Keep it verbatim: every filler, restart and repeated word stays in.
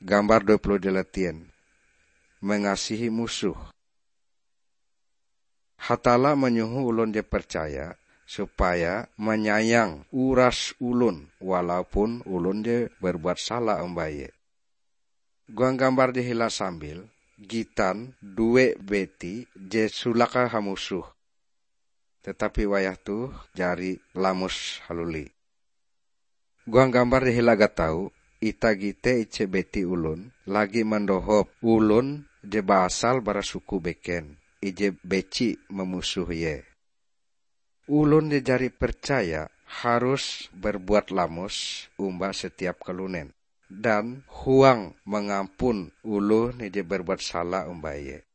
Gambar dua puluh dua, mengasihi musuh. Hatalla manyoho olon je percaya supaya manyayang uras olon, walaupun olon je berbuat sala omba ie. Huang gambar je hila sambil, gitan due beti je sulake hamusoh, tetapi wayah toh jari lamos haluli. Huang gambar je hila gatau, itah gite ije beti olon lagi mandohop olon je baasal bara suku beken, ije beci mamusoh ie. Olon je jari percaya harus berbuat lamos omba setiap kalunen, dan huang mangampun oloh je berbuat sala omba ie.